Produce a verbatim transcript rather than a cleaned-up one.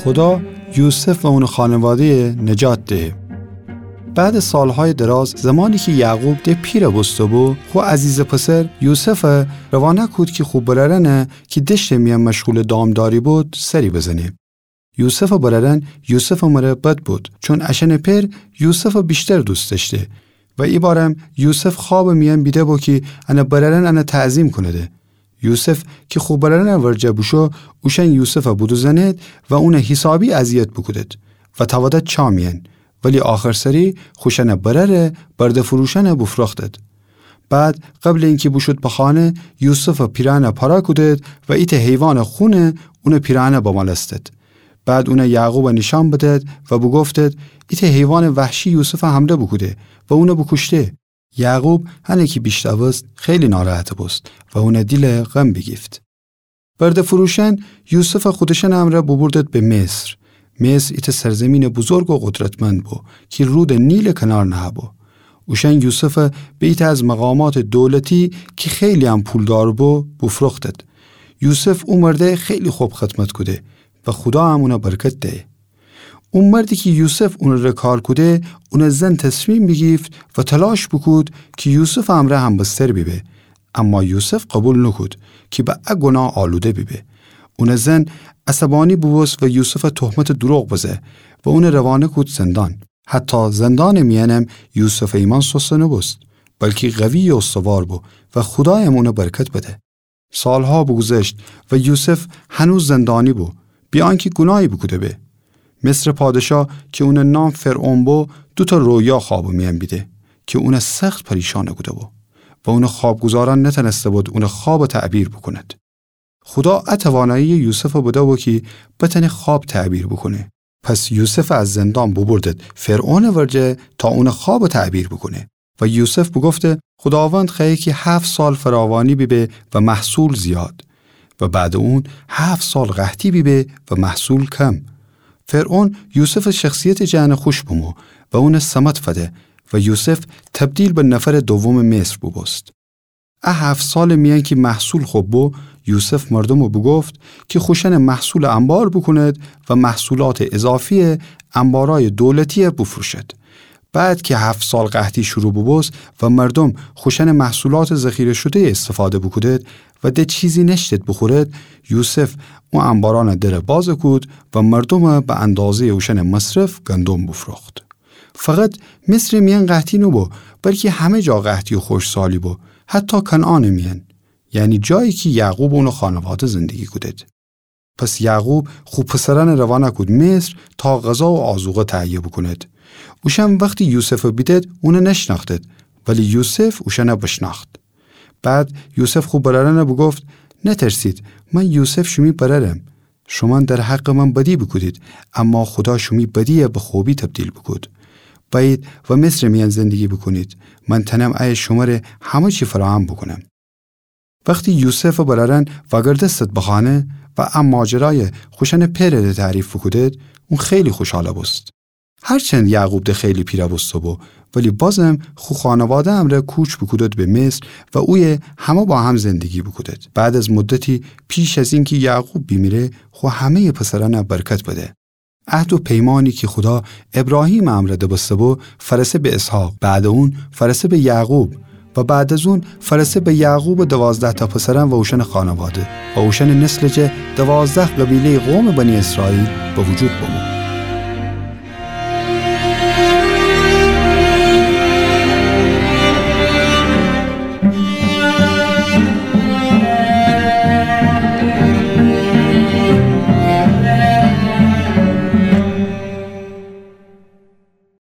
خودا یوسف و اونٚ خانواده‌یَ نجات دهه. بعدٚ سالهایٚ دراز، زمانی کی یعقوب د پیر بوسته‌بو، خو عزیزٚ پسر یوسفَ روانه کود کی خو برأرأنَ کی دشتٚ میأن مشغولٚ دامداری بود، سری بزنه. یوسفٚ برأرأن یوسفٚ مره بد بود، چون اشأنٚ پئر یوسفَ ویشتر دوست دأشته و ایبارم یوسف خوابٚ میأن بیده‌بو کی انٚ برأرأن انَ تعظیم کونده. یوسف کی خو برأرأنٚ ورجه بوشو، اوشأن یوسفَ بودوزأنید و اونَ حیسابی اذیت بوکودید و تأودد چاه میأن، ولی آخرسری خوشأنٚ برأرَ برده‌فروشأنَ بوفروختید. بعد قبلٚ اینکی بوشود به خانه، یوسفٚ پیرهنَ پاره کودید و ایتأ حیوانٚ خون اونٚ پیرهنَ بمالستید. بعد اونَ یعقوبَ نیشأن بدید و بوگفتید: ایتأ حیوانٚ وحشی یوسفَ حمله بوکوده و اونَ بوکوشته. یعقوب هنه کی بیشنوست، خیلی ناراحت بوست و اونٚ دیل غم بیگیفت. برده‌فروشأن یوسفَ خودشأنٚ امرأ بوبوردید به مصر. مصر ایتأ سرزیمینٚ بزرگ و قدرتمند بو کی رودٚ نیلٚ کنار نهه‌بو. اوشأن یوسفَ به ایتأ از مقاماتٚ دولتی کی خیلی هم پولدار بو، بوفروختید. یوسف او مرده خیلی خب خدمت کوده و خودا هم اونَ برکت دهه. او مردی کی یوسف اونٚ ره کار کوده، اونٚ زن تصمیم بیگیفت و تلاش بوکود کی یوسفٚ امرأ همبستر بیبه، اما یوسف قوبیل نوکود کی به ا گناه آلوده بیبه. اونٚ زن عصبانی بوبوست و یوسفَ تهمتٚ دروغ بزه و اونَ روانه کود زندان. حتی زندانٚ میأنم یوسفٚ ایمأن سست نوبوست، بلکی قوی و استوار بو و خودایم اونَ برکت بده. سالها بوگوذشت و یوسف هنوز زندانی بو، بی‌آنکی گوناهی بوکوده به. مصرٚ پادشاه کی اونٚ نام فرعون بو، دوتأ رویا خوابٚ میأن بیده کی اونَ سخت پریشان کوده‌بو و اونٚ خوابگزارأن نتأنسته‌بود اونٚ خوابَ تعبیر بوکونید. خودا ا تواناییَ یوسفَ بده‌بو کی بتأنه خواب تعبیر بوکونه. پس یوسفَ از زندان بوبوردید فرعونٚ ورجه تا اونٚ خوابَ تعبیر بوکونه. و یوسف بوگفته: خوداوند خوأیه کی هفت سال فراوانی بیبه و محصول زیاد، و بعدٚ اون هفت سال قحطی بیبه و محصول کم. فرعون یوسفٚ شخصیتٚ جٚه انَ خوش بمو و اونَ ثمد فده و یوسف تبدیل به نفرٚ دومٚ مصر بوبوست. ا هفت سالٚ میأن کی محصول خب بو، یوسف مردومَ بوگفت کی خوشأنٚ محصولَ انبار بوکونید و محصولاتٚ اضافیَ انبارأیٚ دولتیَ بوفروشید. بعد کی هفت سال قحطی شروع بوبوست و مردوم خوشأنٚ محصولاتٚ ذخیره شده‌یَ استفاده بوکودید و د چیزی نأشتید بوخورید، یوسف او انبارأنٚ درَ بازَ کود و مردومَ به اندازه‌یٚ اوشأنٚ مصرف گندم بوفروخت. فقط مصرٚ میأن قحطی نوبو، بلکی همه جا قحطی و خشکسالی بو، حتی کنعانٚ میأن، یعنی جایی کی یعقوب و اونٚ خانواده زندگی کودید. پس یعقوب خو پسرأنَ روانه کود مصر تا غذا و آذوقه تهیه بوکونید. اوشأن وختی یوسفَ بیدید، اونَ نشنأختید، ولی یوسف اوشأنَ بشنأخت. بعد یوسف خو برأرأنَ بوگفت: نترسید، من یوسف شیمی برأرم. شومأن در حقٚ من بدی بوکودید، اما خودا شیمی بدیَ به خوبی تبدیل بوکود. بأیید و مصرٚ میأن زندگی بوکونید. من تأنم ایه شمره همه چی فراهم بوکونم. وختی یوسفٚ برأرأن وأگردستید به خانه و ا ماجرایَ خوشأنٚ پئرٚ ره تعریف بوکودید، اون خیلی خوشحال بوست. هرچند یعقوب د خیلی پیر بوسته‌بو، ولی بازم خو خانواده امرأ کوچ بوکودید به مصر و اویه همه با هم زندگی بوکودید. بعد از مدتی، پیش از اینکی یعقوب بیمیره، خو همه‌یٚ پسرأنَ برکت بده. عهد و پیمانی کی خودا ابراهیمٚ امرأ دبسته‌بو، فأرسه به اسحاق، بعدٚ اون فأرسه به یعقوب و بعد از اون فأرسه به یعقوبٚ دوازده‌تأ پسرأن و اوشأنٚ خانواده و اوشأنٚ نسلٚ جا دوازده قبیله‌یٚ قومٚ بنی اسرائیل به وجود بمو.